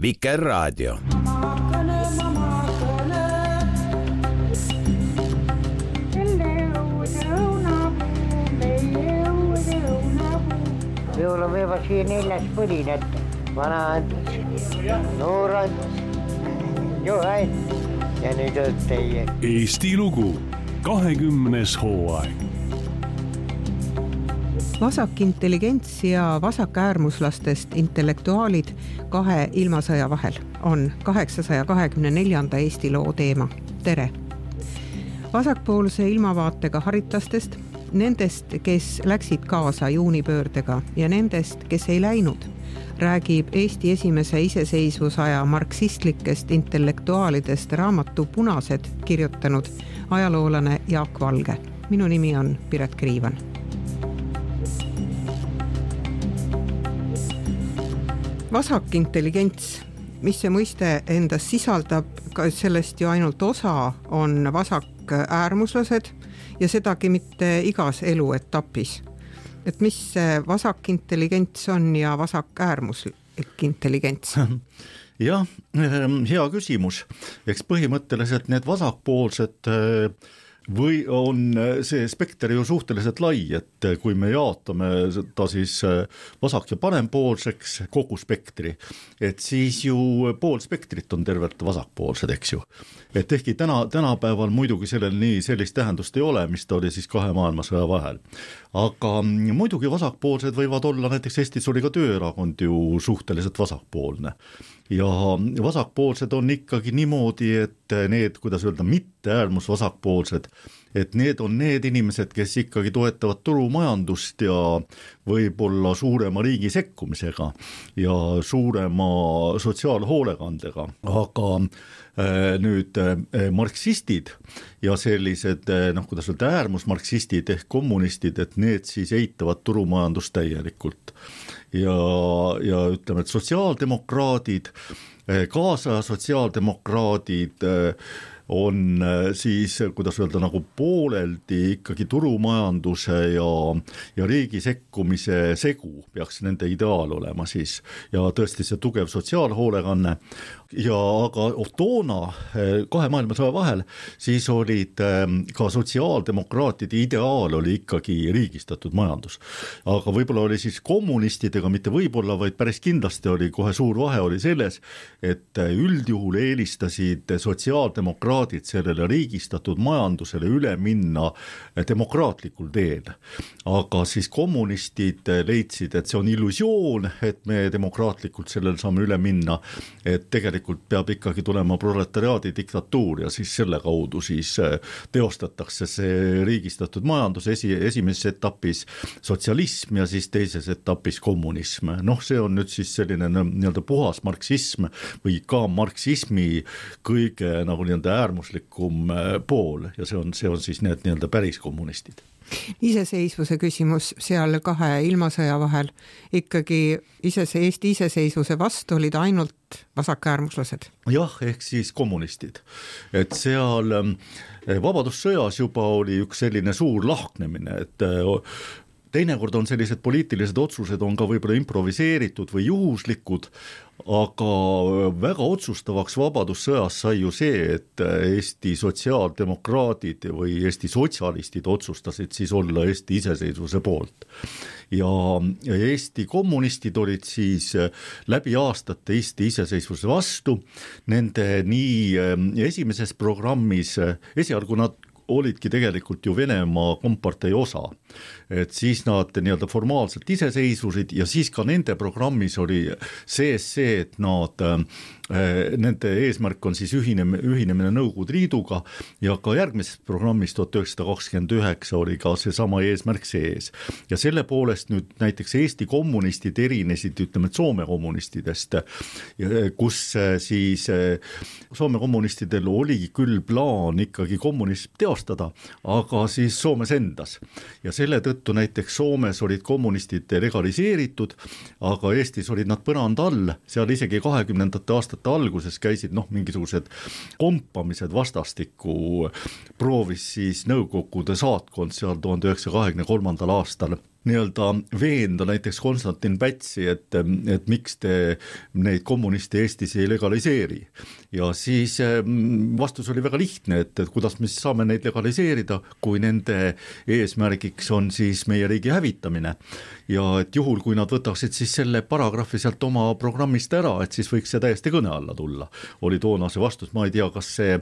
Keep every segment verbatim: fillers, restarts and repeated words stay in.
Vikerraadio. Minulla on vielä siihen neljäs põlin, että vana antas, noor antas, johain ja nüüd on teie. Eesti lugu, kahekümnes hooaeg. Vasak intelligents ja vasakäärmuslastest intellektuaalid kahe ilmasõja vahel on kaheksasaja kahekümne neljanda Eesti loo teema. Tere! Vasakpoolse ilmavaatega haritlastest, nendest, kes läksid kaasa juunipöördega ja nendest, kes ei läinud, räägib Eesti esimese iseseisvusaja marksistlikest intellektuaalidest raamatu Punased kirjutanud ajaloolane Jaak Valge. Minu nimi on Piret Kriivan. Vasak intelligents, mis see mõiste endas sisaldab, sellest ju ainult osa on vasak äärmuslased ja sedagi mitte igas eluetapis. Et mis see vasak intelligents on ja vasak äärmuslik intelligents? Jah, hea küsimus. Eks põhimõtteliselt need vasakpoolsed või on see spekter ju suhteliselt lai, et kui me jaotame ta siis vasak- ja parempoolseks kogu spektri, et siis ju pool spektrit on tervelt vasakpoolsed, eks ju. Et ehkki täna, tänapäeval muidugi sellel nii sellist tähendust ei ole, mis ta oli siis kahe maailmasõja vahel. Aga muidugi vasakpoolsed võivad olla, näiteks Eestis oli ka tööerakond ju suhteliselt vasakpoolne. Ja vasakpoolsed on ikkagi niimoodi, et need, kuidas öelda, mitte äärmus vasakpoolsed, et need on need inimesed, kes ikkagi toetavad turumajandust ja võib-olla suurema riigi sekkumisega ja suurema sotsiaalhoolekandega, aga nüüd marksistid ja sellised, noh, kuidas öelda, äärmusmarksistid ehk kommunistid, et need siis eitavad turumajandust täielikult. Ja, ja ütleme, et sotsiaaldemokraadid, kaasa sotsiaaldemokraadid on siis, kuidas öelda, nagu pooleldi ikkagi turumajanduse ja, ja riigi sekkumise segu peaks nende ideaal olema siis ja tõesti see tugev sotsiaalhoolekanne. Ja aga toona kahe maailmasõja vahel siis olid ka sotsiaaldemokraatide ideaal oli ikkagi riigistatud majandus. Aga võib-olla oli siis kommunistidega, mitte võib-olla, vaid päris kindlasti oli kohe suur vahe oli selles, et üldjuhul eelistasid sotsiaaldemokraadid sellele riigistatud majandusele üle minna demokraatlikul teel. Aga siis kommunistid leidsid, et see on illusioon, et me demokraatlikult sellele saame üle minna, et tegelikult peab ikkagi tulema proletariaadi diktatuur ja siis selle kaudu siis teostatakse see riigistatud majandus esi, esimeses etapis sotsialism ja siis teises etapis kommunism. Noh, see on nüüd siis selline nii-öelda puhas marksism või ka marksismi kõige nagu nii-öelda äärmuslikum pool ja see on, see on siis need nii-öelda päris kommunistid. Iseseisvuse küsimus seal kahe ilmasõja vahel ikkagi isese, Eesti iseseisvuse vastu olid ainult vasakäärmuslased. Jah, ehk siis kommunistid. Et seal vabadussõjas juba oli üks selline suur lahknemine, et teinekord on sellised poliitilised otsused on ka võib-olla improviseeritud või juhuslikud, aga väga otsustavaks vabadussõjas sai ju see, et Eesti sotsiaaldemokraadid või Eesti sotsialistid otsustasid siis olla Eesti iseseisvuse poolt. Ja Eesti kommunistid olid siis läbi aastate Eesti iseseisvuse vastu. Nende nii esimeses programmis, esialgu nad olidki tegelikult ju Venemaa kompartei osa, et siis nad nii-öelda formaalselt iseseisvusid ja siis ka nende programmis oli sees see, et nad, nende eesmärk on siis ühinemine, ühinemine Nõukogude Liiduga ja ka järgmises programmis tuhat üheksasada kakskümmend üheksa oli ka see sama eesmärk sees. Ja selle poolest nüüd näiteks Eesti kommunistid erinesid, ütleme, Soome kommunistidest, kus siis Soome kommunistidel oli küll plaan ikkagi kommunism teostada, aga siis Soomes endas. Ja selle tõttu näiteks Soomes olid kommunistid legaliseeritud, aga Eestis olid nad põrand all, seal isegi kahekümnendate aastate alguses käisid noh, mingisugused kompamised vastastikku, proovis siis Nõukogude saatkond seal tuhande üheksasaja kahekümne kolmandal aastal nii-öelda veenda näiteks Konstantin Pätsi, et, et miks te neid kommuniste Eestis ei legaliseeri. Ja siis vastus oli väga lihtne, et, et kuidas me saame neid legaliseerida, kui nende eesmärgiks on siis meie riigi hävitamine. Ja et juhul, kui nad võtaksid siis selle paragrahvi sealt oma programmist ära, et siis võiks see täiesti kõne alla tulla. Oli toona see vastus, ma ei tea, kas see,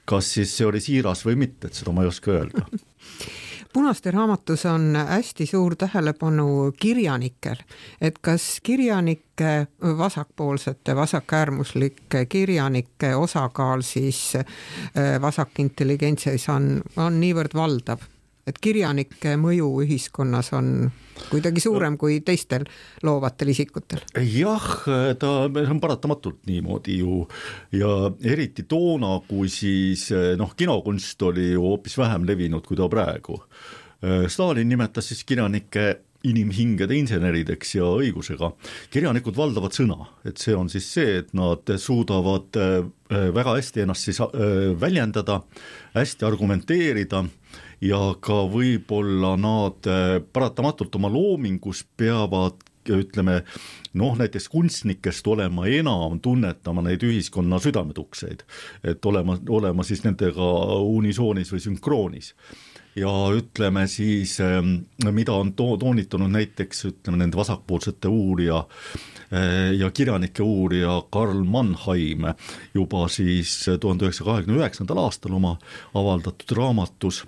kas siis see oli siiras või mitte, et seda ma ei oska öelda. Punaste raamatus on hästi suur tähelepanu kirjanikel, et kas kirjanike, vasakpoolsete, vasakäärmuslike kirjanike osakaal siis vasakintelligentsis on, on niivõrd valdav, et kirjanike mõju ühiskonnas on kuidagi suurem kui teistel loovatel isikutel. Jah, ta on paratamatult niimoodi ju ja eriti toona, kui siis noh, kinokunst oli ju hoopis vähem levinud kui ta praegu. Stalin nimetas siis kirjanike inimhingede insenerideks ja õigusega. Kirjanikud valdavad sõna, et see on siis see, et nad suudavad väga hästi ennast siis väljendada, hästi argumenteerida ja ka võib-olla nad paratamatult oma loomingus peavad, ütleme, noh, näiteks kunstnikest olema enam tunnetama neid ühiskonna südametukseid, et olema, olema siis nendega unisoonis või sünkroonis. Ja ütleme siis, mida on to- toonitanud näiteks, ütleme, nende vasakpoolsete uurija ja kirjanike uurija Karl Mannheim juba siis tuhande üheksasaja kahekümne üheksandal aastal oma avaldatud raamatus,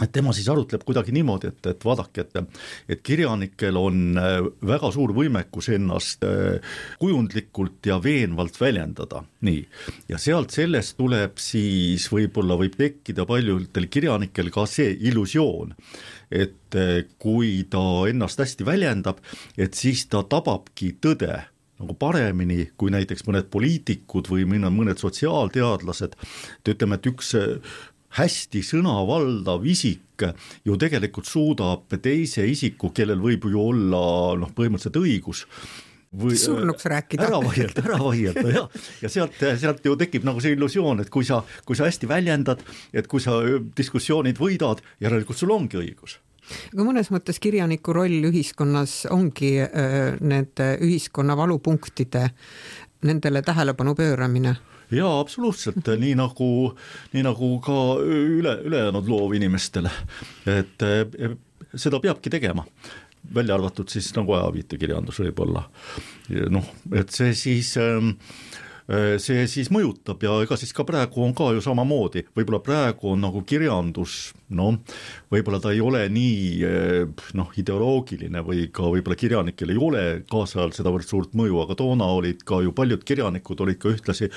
et tema siis arutleb kuidagi niimoodi, et, et vaadake, et, et kirjanikel on väga suur võimekus ennast kujundlikult ja veenvalt väljendada. Nii. Ja sealt sellest tuleb siis võib-olla võib tekkida paljudel kirjanikel ka see illusioon, et kui ta ennast hästi väljendab, et siis ta tababki tõde nagu paremini kui näiteks mõned poliitikud või mõned sotsiaalteadlased, et ütleme, et üks hästi sõnavaldav isik ju tegelikult suudab teise isiku, kellel võib ju olla noh, põhimõtteliselt õigus või surnuks rääkida. Ära vaielda, ära vaielda, jah. Ja sealt, sealt ju tekib nagu see illusioon, et kui sa, kui sa hästi väljendad, et kui sa diskussioonid võidad, järelikult sul ongi õigus. Aga mõnes mõttes kirjaniku roll ühiskonnas ongi äh, need ühiskonna valupunktide, nendele tähelepanu pööramine. Jaa, absoluutselt, nii nagu, nii nagu ka üle, ülejäänud loovinimestele, et seda peabki tegema, välja arvatud siis nagu ajaviitekirjandus võib-olla. Noh, et see siis, see siis mõjutab ja ega siis ka praegu on ka ju samamoodi, võib-olla praegu on nagu kirjandus, no võib-olla ta ei ole nii noh, ideoloogiline või ka võib-olla kirjanikel ei ole kaasajal sedavõrd suurt mõju, aga toona olid ka ju paljud kirjanikud olid ka ühtlasi,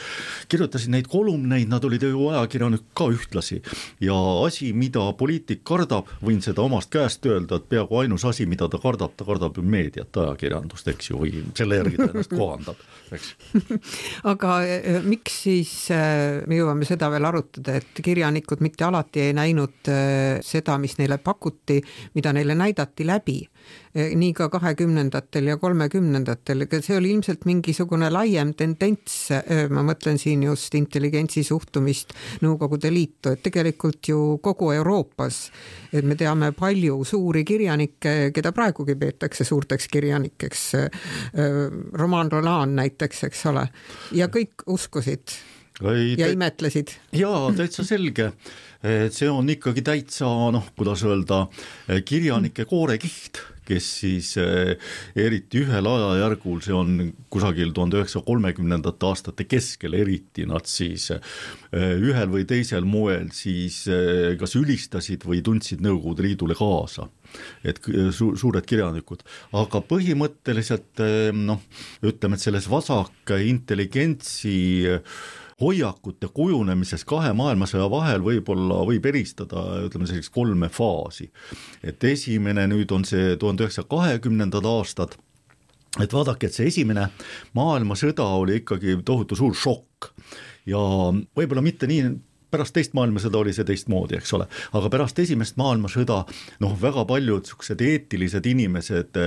kirjutasid neid kolumneid, nad olid ju ajakirjanik ka ühtlasi ja asi, mida poliitik kardab, võin seda omast käest öelda, et peaaegu ainus asi, mida ta kardab, ta kardab ju meediat, ajakirjandust, eks ju, või selle järgi ta ennast kohandab, eks. Aga miks siis me jõuame seda veel arutada, et kirjanikud mitte alati ei näinud seda, mis neile pakuti, mida neile näidati läbi, nii ka kahekümnendatel ja kolmekümnendatel, see oli ilmselt mingisugune laiem tendents, ma mõtlen siin just intelligentsi suhtumist Nõukogude Liitu, et tegelikult ju kogu Euroopas, et me teame palju suuri kirjanikke, keda praegugi peetakse suurteks kirjanikeks, Roman Roland näiteks, eks ole, ja kõik uskusid Ei, ja imetlesid. Jaa, täitsa selge. See on ikkagi täitsa, noh, kuidas öelda, kirjanike koorekiht, kes siis eriti ühel ajajärgul, see on kusagil tuhande üheksasaja kolmekümnendate aastate keskel eriti, nad siis ühel või teisel moel siis kas ülistasid või tundsid Nõukogude Liidule kaasa, et su- suured kirjanikud, aga põhimõtteliselt noh, ütleme, et selles vasak intelligentsi hoiakute kujunemises kahe maailmasõja vahel võib-olla võib eristada, ütleme selliseks kolme faasi. Et esimene nüüd on see tuhande üheksasaja kahekümnendad aastad, et vaadake, et see esimene maailmasõda oli ikkagi tohutu suur šokk ja võib-olla mitte nii pärast teist maailmasõda oli see teistmoodi, eks ole, aga pärast esimest maailmasõda noh, väga paljud siuksed eetilised inimesed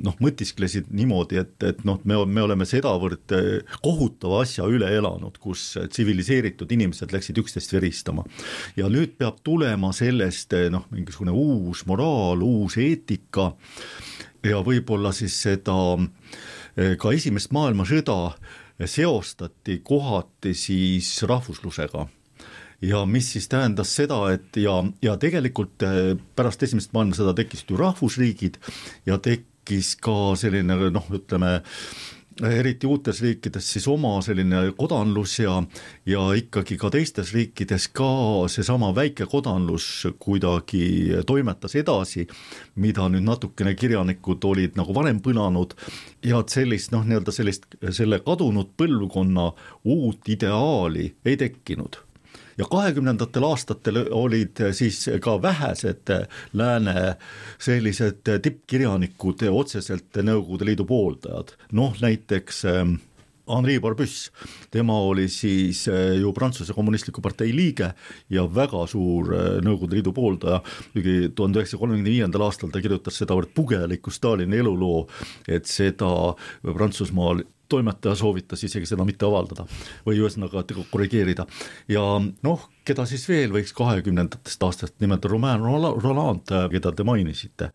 noh, mõtisklesid niimoodi, et, et noh, me, me oleme sedavõrd kohutava asja üle elanud, kus tsiviliseeritud inimesed läksid üksteist veristama ja nüüd peab tulema sellest noh, mingisugune uus moraal, uus eetika ja võib-olla siis seda ka esimest maailmasõda seostati kohati siis rahvuslusega ja mis siis tähendas seda, et ja, ja tegelikult pärast esimest maailmasõda tekkisid ju rahvusriigid ja tekkis ka selline noh, ütleme eriti uutes riikides siis oma selline kodanlus ja, ja ikkagi ka teistes riikides ka seesama väike kodanlus kuidagi toimetas edasi, mida nüüd natukene kirjanikud olid nagu varem põnanud ja et sellist noh, nii-öelda sellist selle kadunud põlvkonna uut ideaali ei tekkinud. Ja kahekümnendatel aastatel olid siis ka vähesed lääne sellised tippkirjanikud otseselt Nõukogude Liidu pooldajad. Noh, näiteks Henri Barbusse, tema oli siis ju Prantsuse kommunistliku partei liige ja väga suur Nõukogude Liidu pooldaja. tuhande üheksasaja kolmekümne viiendal aastal ta kirjutas sedavõrd pugeliku Stalini eluloo, et seda Prantsusmaal toimetaja soovitas isegi seda mitte avaldada või ühesõnaga korrigeerida. Ja noh, keda siis veel võiks kahekümnendatest aastast nimelt Romain Rolland, keda te mainisite.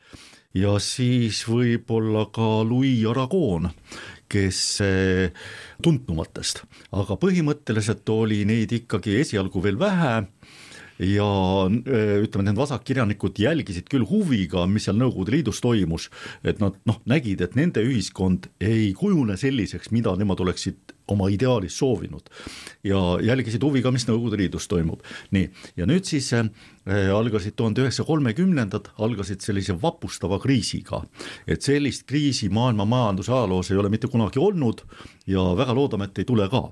Ja siis võib-olla ka Louis Aragon, kes tuntumatest, aga põhimõtteliselt oli neid ikkagi esialgu veel vähe ja ütleme, need vasakkirjanikud jälgisid küll huviga, mis seal Nõukogude Liidus toimus, et nad noh, nägid, et nende ühiskond ei kujune selliseks, mida nemad oleksid oma ideaalis soovinud ja jälgisid huviga, mis Nõukogude Liidus toimub. Nii, ja nüüd siis äh, algasid tuhande üheksasaja kolmekümnendad, algasid sellise vapustava kriisiga, et sellist kriisi maailma majanduse ajaloos ei ole mitte kunagi olnud ja väga loodame, et ei tule ka.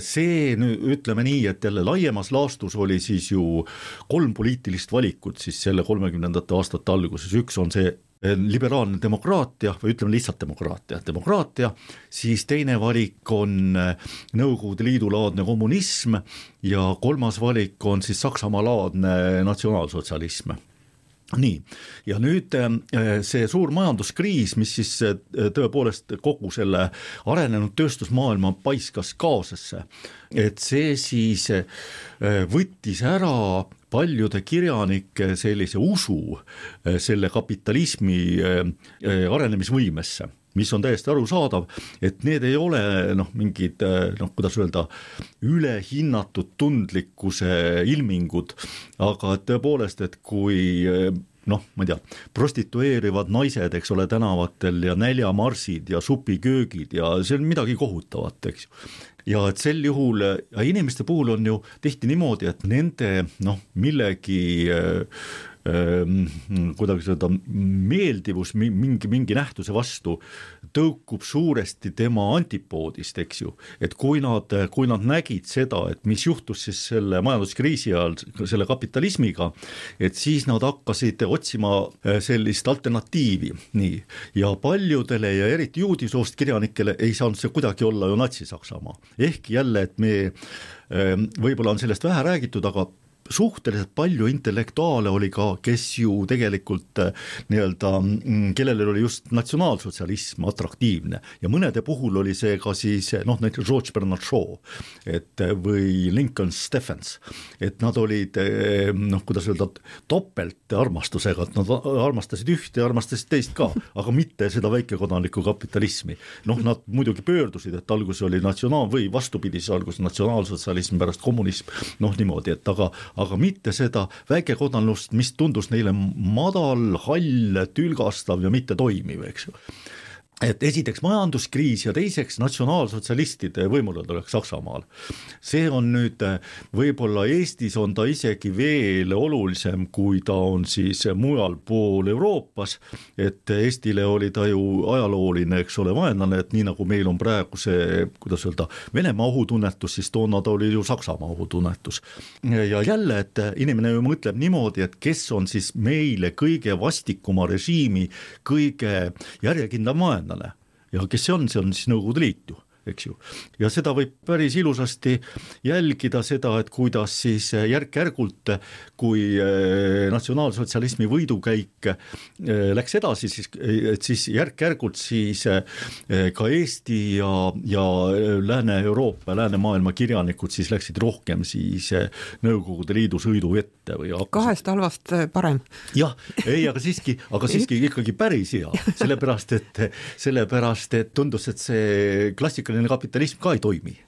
See nüüd ütleme nii, et jälle laiemas laastus oli siis ju kolm poliitilist valikut siis selle kolmekümnendate aastate alguses. Üks on see liberaalne demokraatia või ütleme lihtsalt demokraatia, demokraatia, siis teine valik on Nõukogude Liidu laadne kommunism ja kolmas valik on siis Saksamaa laadne natsionaalsotsialism. Nii, ja nüüd see suur majanduskriis, mis siis tõepoolest kogu selle arenenud tööstusmaailma paiskas kaosesse, et see siis võttis ära paljude kirjanike sellise usu selle kapitalismi arenemisvõimesse, mis on täiesti arusaadav, et need ei ole noh, mingid, noh, kuidas öelda, ülehinnatud tundlikkuse ilmingud, aga tõepoolest, et kui noh, ma ei tea, prostitueerivad naised, eks ole, tänavatel ja näljamarsid ja supiköögid ja see on midagi kohutavat, eks ju. Ja et sel juhul, ja inimeste puhul on ju tihti niimoodi, et nende noh, millegi kuidagi seda meeldivus mingi, mingi nähtuse vastu tõukub suuresti tema antipoodist, eks ju, et kui nad, kui nad nägid seda, et mis juhtus siis selle majanduskriisi ajal selle kapitalismiga, et siis nad hakkasid otsima sellist alternatiivi, nii, ja paljudele ja eriti juudisoost kirjanikele ei saanud see kuidagi olla ju Natsi-Saksamaa, ehk jälle, et me võib-olla on sellest vähe räägitud, aga suhteliselt palju intellektuaale oli ka, kes ju tegelikult nii-öelda, kellel oli just natsionaalsotsialism atraktiivne ja mõnede puhul oli see ka siis noh, näiteks George Bernard Shaw et, või Lincoln Stephens, et nad olid noh, kuidas öelda, topelt armastusega, et nad armastasid ühte ja armastasid teist ka, aga mitte seda väikekodanlikku kapitalismi. Noh, nad muidugi pöördusid, et algus oli natsionaal või vastupidi, siis algus natsionaalsotsialism pärast kommunism, noh niimoodi, et aga aga mitte seda väikekodanlust, mis tundus neile madal, hall, tülgastav ja mitte toimiv, eks ju. Et esiteks majanduskriis ja teiseks natsionaalsotsialistide võimuletulek Saksamaal. See on nüüd, võib-olla Eestis on ta isegi veel olulisem, kui ta on siis mujal pool Euroopas, et Eestile oli ta ju ajalooline, eks ole, vaenlane, et nii nagu meil on praegu see, kuidas öelda, Venemaa ohutunnetus, siis toona ta oli ju Saksamaa ohutunnetus. Ja jälle, et inimene ju mõtleb niimoodi, et kes on siis meile kõige vastikuma režiimi, kõige järjekindlam vaenlane. Ja kes see on, see on siis Nõukogude Liit ju. eks ju. ja seda võib päris ilusasti jälgida seda, et kuidas siis järk-järgult, kui natsionaalsotsialismi võidukäik läks edasi, siis, et siis järk-järgult siis ka Eesti ja, ja Lääne-Euroopa, Läänemaailma kirjanikud siis läksid rohkem siis Nõukogude Liidu sõidu ette või hakkasid. Kahest halvast parem. jah, ei, aga siiski, aga siiski ikkagi päris hea, sellepärast, et sellepärast, et tundus, et see klassikaline kapitalism ka ei toimi.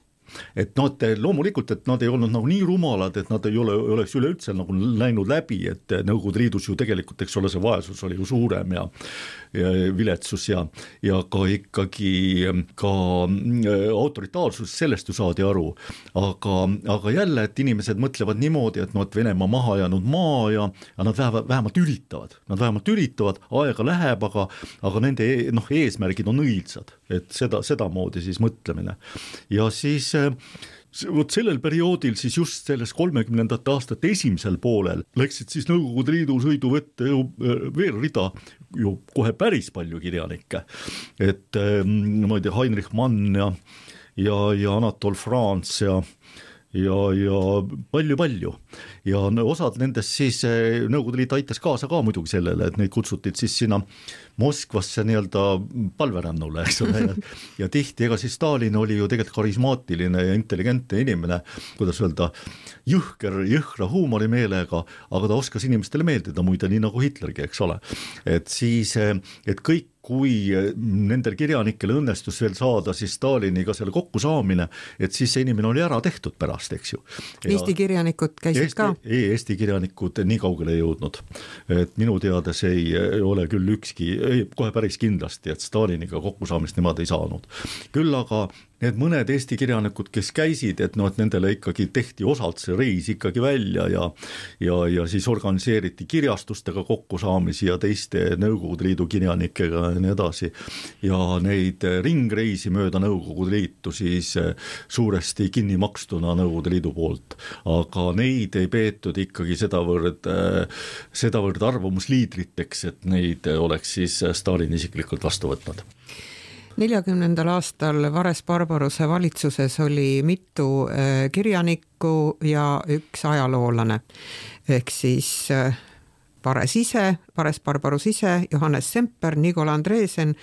Et nad loomulikult, et nad ei olnud nagu nii rumalad, et nad ei ole, oleks üleüldse nagu läinud läbi, et Nõukogude Liidus ju tegelikult, eks ole, see vaesus oli ju suurem ja, ja viletsus ja, ja ka ikkagi ka autoritaarsus, sellest ju saadi aru, aga, aga jälle, et inimesed mõtlevad niimoodi, et no, et Venemaa maha jäänud maa ja, ja nad vähemalt, vähemalt üritavad, nad vähemalt üritavad, aega läheb, aga, aga nende noh, eesmärgid on õilsad, et seda, seda moodi siis mõtlemine ja siis vot sellel perioodil siis just selles kolmekümnendate aastate esimesel poolel läksid siis Nõukogude Liidu sõiduvette ju veel rida ju kohe päris palju kirjanikke, et ma ei tea, Heinrich Mann ja, ja, ja Anatol France ja ja, ja palju-palju ja osad nendest siis Nõukogude Liit aitas kaasa ka muidugi sellele, et neid kutsutid siis sinna Moskvasse nii-öelda palverännule, eks ole, ja, ja tihti, ega siis Stalin oli ju tegelikult karismaatiline ja intelligentne inimene, kuidas öelda, jõhker, jõhra huumorimeelega, aga ta oskas inimestele meeldida muide, nii nagu Hitlergi, eks ole, et siis, et kõik kui nendel kirjanikel õnnestus veel saada siis Staliniga selle kokkusaamine, et siis see inimene oli ära tehtud pärast, eks ju. Ja Eesti kirjanikud käisid Eesti, ka? Ei, Eesti kirjanikud nii kaugele ei jõudnud, et minu teades ei ole küll ükski, ei, kohe päris kindlasti, et Staliniga kokkusaamist nemad ei saanud. Küll aga need mõned Eesti kirjanikud, kes käisid, et noh, et nendele ikkagi tehti osalt see reis ikkagi välja ja, ja, ja siis organiseeriti kirjastustega kokkusaamisi ja teiste Nõukogude Liidu kirjanikega ja nii edasi. Ja neid ringreisi mööda Nõukogude Liitu siis suuresti kinni makstuna Nõukogude Liidu poolt, aga neid ei peetud ikkagi sedavõrd, sedavõrd arvamusliidriteks, et neid oleks siis Stalin isiklikult vastu võtnud. neljakümnendal aastal Vares-Barbaruse valitsuses oli mitu kirjanikku ja üks ajaloolane, ehk siis Vares ise, Vares-Barbarus ise, Johannes Semper, Nigol Andresen,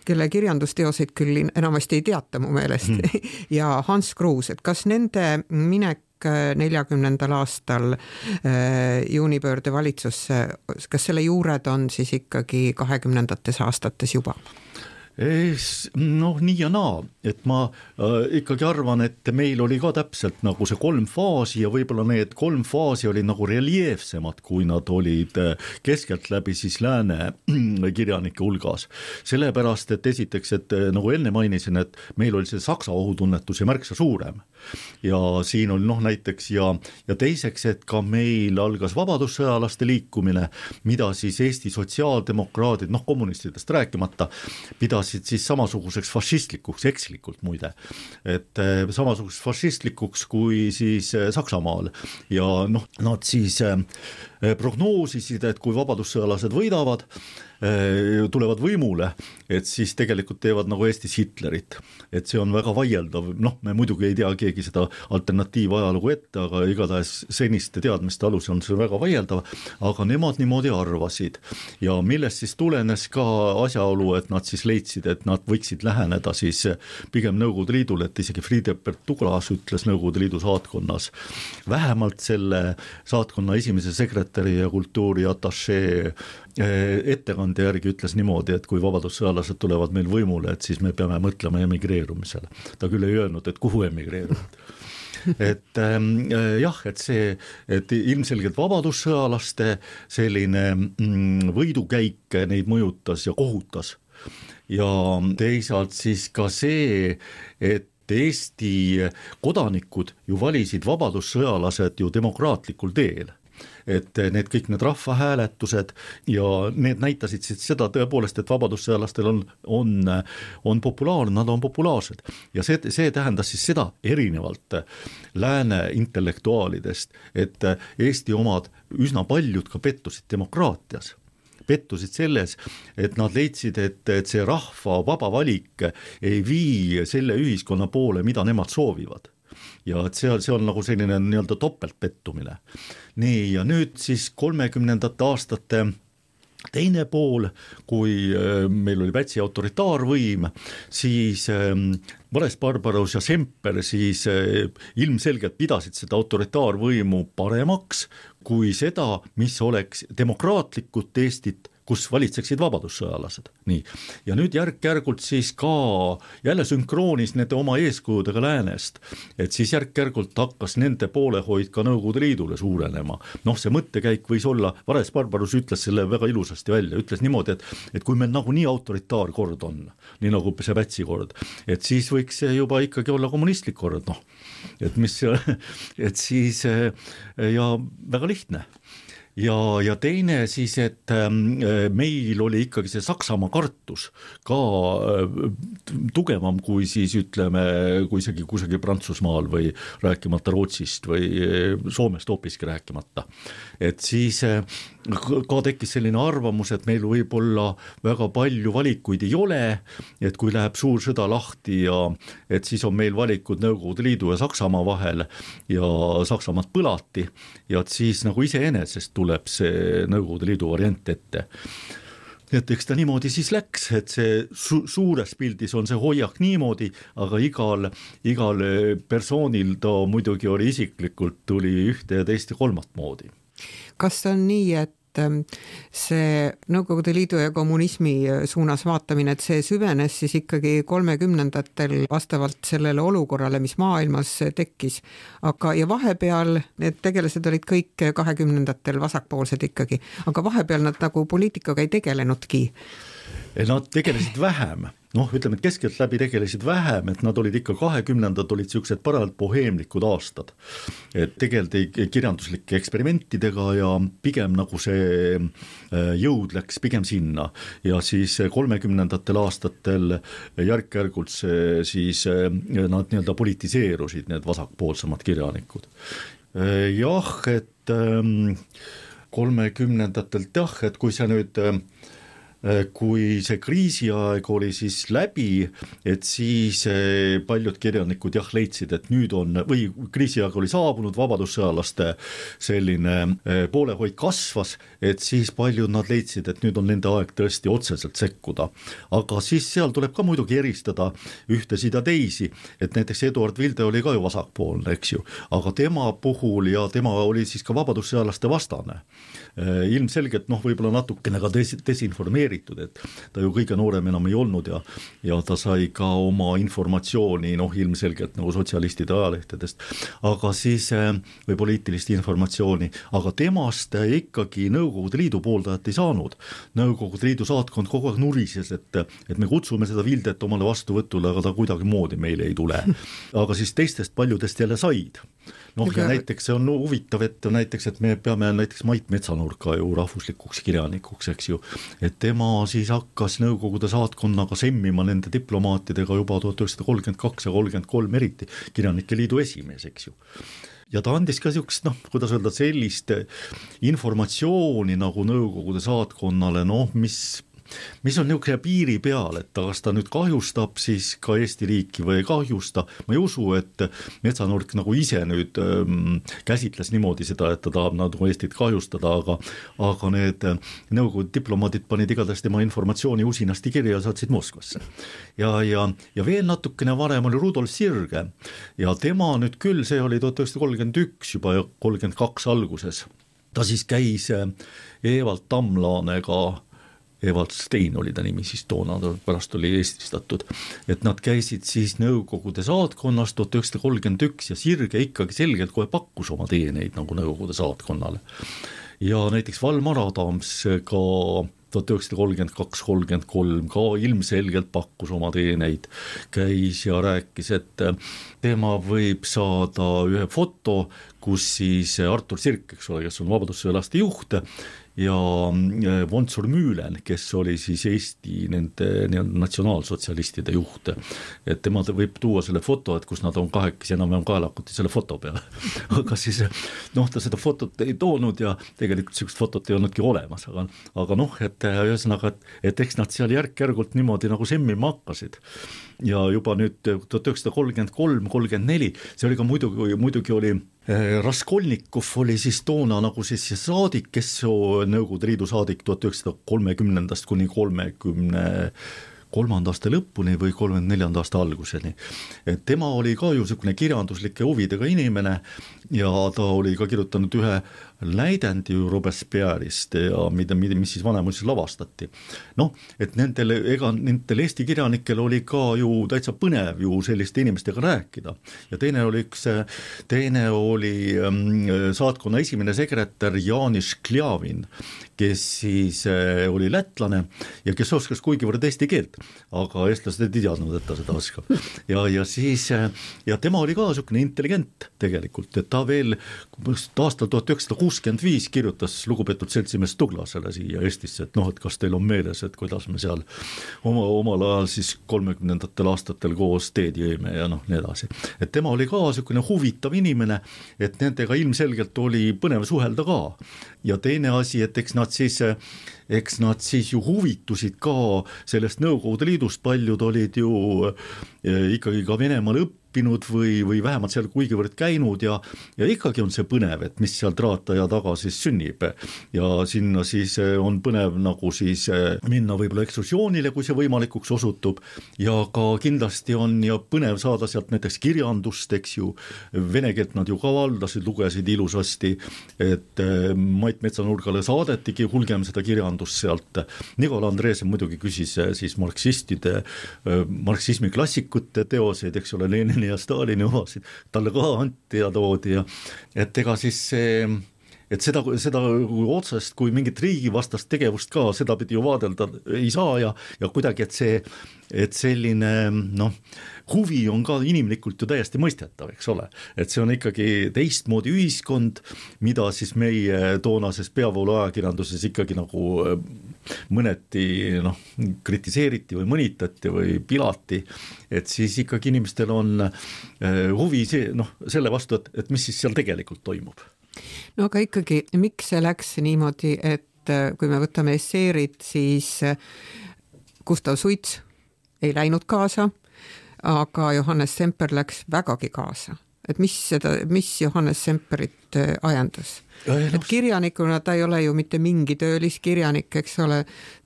kelle kirjandusteoseid küll enamasti ei teata mu meelest, hmm. ja Hans Kruus, et kas nende minek neljakümnendal aastal juunipöörde valitsusse, kas selle juured on siis ikkagi kahekümnendates aastates juba? Noh, nii ja naa, et ma äh, ikkagi arvan, et meil oli ka täpselt nagu see kolm faasi ja võib-olla need kolm faasi oli nagu reljeefsemad, kui nad olid keskelt läbi siis lääne kirjanike hulgas. Sellepärast, et esiteks, et nagu enne mainisin, et meil oli see Saksa ohutunnetus ja märksa suurem. Ja siin oli noh näiteks ja, ja teiseks, et ka meil algas vabadussõjalaste liikumine, mida siis Eesti sotsiaaldemokraadid, noh kommunistidest rääkimata, pidasid siis samasuguseks fašistlikuks, ekslikult muide, et samasuguseks fašistlikuks kui siis Saksamaal ja noh, nad siis prognoosisid, et kui vabadussõjalased võidavad, tulevad võimule, et siis tegelikult teevad nagu Eestis Hitlerit, et see on väga vaieldav, noh, me muidugi ei tea keegi seda alternatiiv ajalugu ette, aga igatahes seniste teadmiste alus on see väga vaieldav, aga nemad niimoodi arvasid ja millest siis tulenes ka asjaolu, et nad siis leidsid, et nad võiksid läheneda siis pigem Nõukogude Liidule, et isegi Friedebert Douglas ütles Nõukogude Liidu saatkonnas, vähemalt selle saatkonna esimese sekretäri ja kultuuri atašee ettekande järgi ütles niimoodi, et kui vabadussõjalased tulevad meil võimule, et siis me peame mõtlema emigreerumisele. Ta küll ei öelnud, et kuhu emigreerunud. et ähm, jah, et see, et ilmselgelt vabadussõjalaste selline mm, võidukäik neid mõjutas ja kohutas ja teisalt siis ka see, et Eesti kodanikud ju valisid vabadussõjalased ju demokraatlikul teel. Et need kõik need rahvahääletused ja need näitasid siis seda tõepoolest, et vabadussõjalastel on, on, on populaarne, nad on populaarsed ja see, see tähendas siis seda erinevalt lääne intellektuaalidest, et Eesti omad üsna paljud ka pettusid demokraatias. pettusid selles, et nad leidsid, et, et see rahva vaba valik ei vii selle ühiskonna poole, mida nemad soovivad. Ja et see, see on nagu selline nii-öelda topeltpettumine. Nii, ja nüüd siis kolmekümnendate aastate teine pool, kui meil oli Pätsi autoritaarvõim, siis Vares-Barbarus ja Semper siis ilmselgelt pidasid seda autoritaarvõimu paremaks kui seda, mis oleks demokraatlikult Eestit, kus valitseksid vabadussõjalased. Nii. Ja nüüd järk-järgult siis ka jälle sünkroonis nende oma eeskujudega läänest, et siis järk-järgult hakkas nende poolehoid ka Nõukogude Liidule suurenema. Noh, see mõttekäik võis olla, Vares-Barbarus ütles selle väga ilusasti välja, ütles niimoodi, et, et kui meil nagu nii autoritaarkord on, nii nagu see Pätsi kord, et siis võiks see juba ikkagi olla kommunistlik kord, noh, et mis, et siis ja väga lihtne. Ja, ja teine siis, et meil oli ikkagi see Saksamaa kartus ka tugevam kui siis ütleme, kui isegi kusagil Prantsusmaal või rääkimata Rootsist või Soomest hoopiski rääkimata. Et siis ka tekkis selline arvamus, et meil võib olla väga palju valikuid ei ole, et kui läheb suur sõda lahti ja et siis on meil valikud Nõukogude Liidu ja Saksamaa vahel ja Saksamaad põlati ja et siis nagu iseenesest tuleb see Nõukogude Liidu variant ette. Et eks ta niimoodi siis läks, et see su- suures pildis on see hoiak niimoodi, aga igal, igal persoonil ta muidugi oli isiklikult, tuli ühte ja teist ja kolmat moodi. Kas on nii, et see Nõukogude Liidu ja kommunismi suunas vaatamine, et see süvenes siis ikkagi kolmekümnendatel vastavalt sellele olukorrale, mis maailmas tekkis, aga ja vahepeal need tegelased olid kõik kahekümnendatel vasakpoolsed ikkagi, aga vahepeal nad nagu poliitikaga ei tegelenudki. Nad tegelesid vähem, noh ütleme, et keskelt läbi tegelesid vähem, et nad olid ikka kahekümnendad olid siuksed parajalt boheemlikud aastad, et tegeldi kirjanduslike eksperimentidega ja pigem nagu see jõud läks pigem sinna ja siis kolmekümnendatel aastatel järk-järgult see siis nad nii-öelda politiseerusid, need vasakpoolsemad kirjanikud. Jah, et kolmekümnendatelt jah, et kui see nüüd kui see kriisiaeg oli siis läbi, et siis paljud kirjanikud jah leidsid, et nüüd on, või kriisiaeg oli saabunud, vabadussõjalaste selline poolehoid kasvas, et siis paljud nad leidsid, et nüüd on nende aeg tõesti otseselt sekkuda. Aga siis seal tuleb ka muidugi eristada ühtesid ja teisi, et näiteks Eduard Vilde oli ka ju vasakpoolne, eks ju, aga tema puhul ja tema oli siis ka vabadussõjalaste vastane. Ilmselgelt noh, võib-olla natukene ka des- desinformeeritud, et ta ju kõige noorem enam ei olnud ja, ja ta sai ka oma informatsiooni noh, ilmselgelt nagu sotsialistide ajalehtedest, aga siis või poliitilist informatsiooni, aga temast ikkagi Nõukogude Liidu pooldajat ei saanud. Nõukogude Liidu saatkond kogu aeg nurises, et, et me kutsume seda Vildet omale vastuvõtule, aga ta kuidagi moodi meile ei tule. Aga siis teistest paljudest jälle said. Noh, ja näiteks see on huvitav, et näiteks, et me peame näiteks Mait Metsanurka ju rahvuslikuks kirjanikuks, eks ju, et tema siis hakkas Nõukogude saatkonnaga semmima nende diplomaatidega juba tuhat üheksasada kolmkümmend kaks ja kolmkümmend kolm eriti Kirjanike Liidu esimees, eks ju. Ja ta andis ka siukest, noh, kuidas öelda, sellist informatsiooni nagu Nõukogude saatkonnale, noh, mis mis on niisugune piiri peal, et kas ta nüüd kahjustab siis ka Eesti riiki või ei kahjusta. Ma ei usu, et Metsanurk nagu ise nüüd ähm, käsitles niimoodi seda, et ta tahab nagu Eestit kahjustada, aga, aga need Nõukogude diplomaadid panid igatahes tema informatsiooni usinasti kirja ja saatsid Moskvasse. Ja, ja, ja veel natukene varem oli Rudolf Sirge ja tema nüüd küll, see oli tuhat üheksasada kolmkümmend üks juba ja kolmkümmend kaks alguses. Ta siis käis Evald Tamlaanega, Evald Stein oli ta nimi siis toona, pärast oli eestistatud, et nad käisid siis Nõukogude saatkonnas tuhat üheksasada kolmkümmend üks ja Sirge ikkagi selgelt kohe pakkus oma teeneid nagu Nõukogude saatkonnale. Ja näiteks Valmar Adams ka tuhat üheksasada kolmkümmend kaks kolmkümmend kolm ka ilmselgelt pakkus oma teeneid, käis ja rääkis, et tema võib saada ühe foto, kus siis Artur Sirk, eks ole, kes on vabadussõjalaste juht, ja Vontsur Müülen, kes oli siis Eesti nende nii-öelda natsionaalsotsialistide juht. Et tema võib tuua selle foto, et kus nad on kahekesi enam-enam kaelakuti selle foto peale. Aga siis noh, ta seda fotot ei toonud ja tegelikult sellist fotot ei olnudki olemas, aga, aga noh, et ühesõnaga, et, et eks nad seal järk-järgult niimoodi nagu semmima hakkasid. Ja juba nüüd tuhat üheksasada kolmkümmend kolm kolmkümmend neli, see oli ka muidugi, muidugi oli Raskolnikov oli siis toona nagu siis saadik, kes Nõukogude Liidu saadik tuhat üheksasada kolmekümnendast kuni kolmekümne kolmanda aasta lõpuni või kolmekümne neljanda aasta alguseni. Et tema oli ka ju selline kirjanduslike huvidega inimene ja ta oli ka kirjutanud ühe läidendi Robespierre'ist ja mida, mida, mis siis vanemuises lavastati. Noh, et nendel, ega nendel Eesti kirjanikel oli ka ju täitsa põnev ju selliste inimestega rääkida. Ja teine oli üks, teine oli saatkonna esimene sekretär Janis Kljavin, kes siis oli lätlane ja kes oskas kuigivõrd eesti keelt, aga eestlased ei teadnud, et ta seda oskab. Ja, ja siis, ja tema oli ka selline intelligent tegelikult, et ta veel aastal tuhat üheksasada kuuskümmend viis kirjutas lugupeetud seltsimees Tuglasele siia Eestisse, et noh, et kas teil on meeles, et kuidas me seal oma, omal ajal siis kolmekümnendatel aastatel koos teed jõime ja noh, nii edasi. Et tema oli ka selline huvitav inimene, et nendega ilmselgelt oli põnev suhelda ka. Ja teine asi, et eks nad siis, eks nad siis ju huvitusid ka sellest Nõukogude Liidust, paljud olid ju ikkagi ka Venemaal õppinud või, või vähemalt seal kuigivõrd käinud ja, ja ikkagi on see põnev, et mis seal traataja taga siis sünnib ja sinna siis on põnev nagu siis minna võib-olla ekskursioonile, kui see võimalikuks osutub ja ka kindlasti on ja põnev saada sealt näiteks kirjandust, eks ju, vene keelt nad ju ka valdasid, lugesid ilusasti, et Mait Metsanurgale saadetigi hulgem seda kirjandust sealt. Nikola Andreesen muidugi küsis siis marksistide, marksismi klassikute teoseid, eks ole, Lenini ja Stalini omasid, talle ka anti ja toodi ja et ega siis see et seda, seda otsest kui mingit riigivastast tegevust ka seda pidi ju vaadelda ei saa ja, ja kuidagi, et see, et selline noh, huvi on ka inimlikult ju täiesti mõistetav, eks ole, et see on ikkagi teistmoodi ühiskond, mida siis meie toonases peavoolu ajakirjanduses ikkagi nagu mõneti noh, kritiseeriti või mõnitati või pilati, et siis ikkagi inimestel on huvi see, noh, selle vastu, et, et mis siis seal tegelikult toimub. No aga ikkagi, miks see läks niimoodi, et kui me võtame esseerid, siis Gustav Suits ei läinud kaasa, aga Johannes Semper läks vägagi kaasa. Et mis, seda, mis Johannes Semperit ajendas? Et kirjanikuna ta ei ole ju mitte mingi tööliskirjanik, eks ole,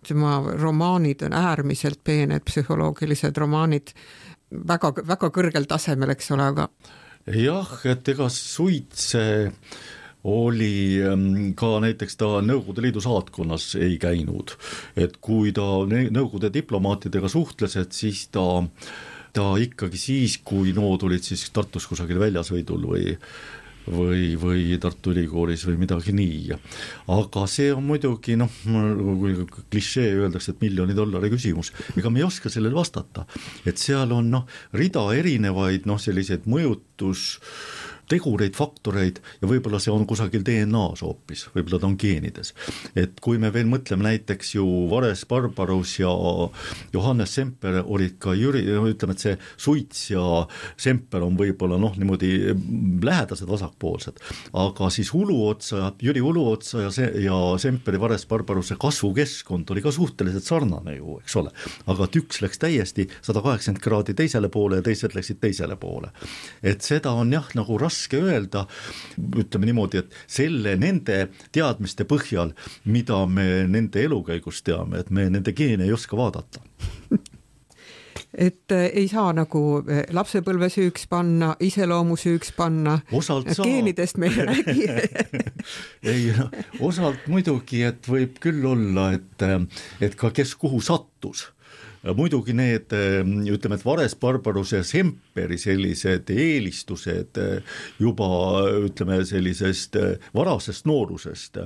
tema romaanid on äärmiselt peened, psühholoogilised romaanid, väga, väga kõrgel tasemel, eks ole, aga jah, et ega Suits oli ka näiteks ta Nõukogude Liidu saatkonnas ei käinud, et kui ta Nõukogude diplomaatidega suhtles, et siis ta, ta ikkagi siis, kui nood olid siis Tartus kusagil väljasõidul või või, või Tartu Ülikoolis või midagi nii. Aga see on muidugi, noh, kui klišee öeldakse, et miljoni dollari küsimus, ega me ei oska sellele vastata, et seal on noh, rida erinevaid noh, selliseid mõjutus tegureid, faktoreid ja võib-olla see on kusagil D N A-s hoopis, võib-olla ta on geenides. Et kui me veel mõtleme näiteks ju Vares Barbarus ja Johannes Semper olid ka Jüri, ütleme, et see Suits ja Semper on võib-olla noh, niimoodi lähedased vasakpoolsed, aga siis Uluotsa, Jüri Uluotsa ja, se, ja Semperi Vares Barbaruse kasvukeskkond oli ka suhteliselt sarnane ju, eks ole, aga et üks läks täiesti sada kaheksakümmend kraadi teisele poole ja teised läksid teisele poole. Et seda on jah, nagu raske raske öelda, ütleme niimoodi, et selle nende teadmiste põhjal, mida me nende elukäigus teame, et me nende geene ei oska vaadata. Et ei saa nagu lapsepõlve süüks panna, iseloomu süüks panna, geenidest me ei räägi. ei, no, osalt muidugi, et võib küll olla, et, et ka kes kuhu sattus. Muidugi need, ütleme, et Vares Barbarus ja Semperi sellised eelistused juba, ütleme, sellisest varasest noorusest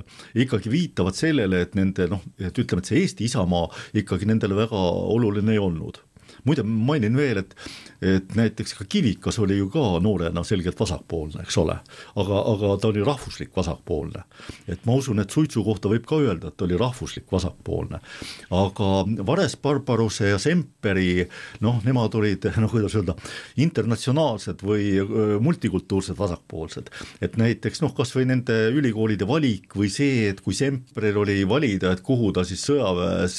ikkagi viitavad sellele, et nende, noh, et ütleme, et see Eesti isamaa ikkagi nendele väga oluline ei olnud. muide mainin veel, et, et näiteks ka Kivikas oli ju ka noorena selgelt vasakpoolne, eks ole, aga, aga ta oli rahvuslik vasakpoolne. Et ma usun, et Suitsu kohta võib ka öelda, et ta oli rahvuslik vasakpoolne. Aga Vares-Barbaruse ja Semperi, noh, nemad olid, noh, kuidas öelda, internatsionaalsed või multikultuursed vasakpoolsed. Et näiteks, noh, kas või nende ülikoolide valik või see, et kui Semperil oli valida, et kuhu ta siis sõjaväes